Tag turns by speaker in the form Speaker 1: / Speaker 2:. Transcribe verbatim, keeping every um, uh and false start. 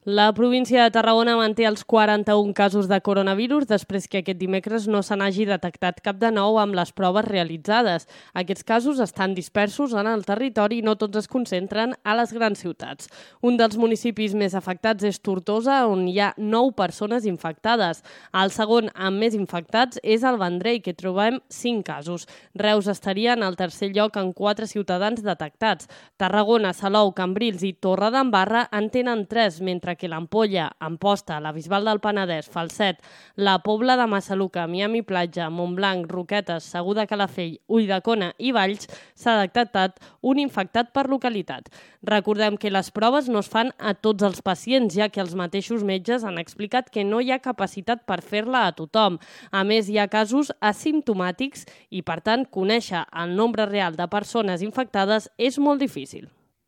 Speaker 1: La província de Tarragona manté els quaranta-un casos de coronavirus després que aquest dimecres no se n'hagi detectat cap de nou amb les proves realitzades. Aquests casos estan dispersos en el territori i no tots es concentren a les grans ciutats. Un dels municipis més afectats és Tortosa, on hi ha nou persones infectades. El segon amb més infectats és el Vendrell, que trobem cinc casos. Reus estaria en el tercer lloc amb quatre ciutadans detectats. Tarragona, Salou, Cambrils i Torredembarra en tenen tres, mentre que l'Ampolla, Amposta, la Bisbal del Penedès, Falset, la Pobla de Massaluca, Miami Platja, Montblanc, Roquetes, Segur de Calafell, Ulldecona i Valls s'ha detectat un infectat per localitat. Recordem que les proves no es fan a tots els pacients, ja que els mateixos metges han explicat que no hi ha capacitat per fer-la a tothom. A més, hi ha casos asimptomàtics i, per tant, conèixer el nombre real de persones infectades és molt difícil.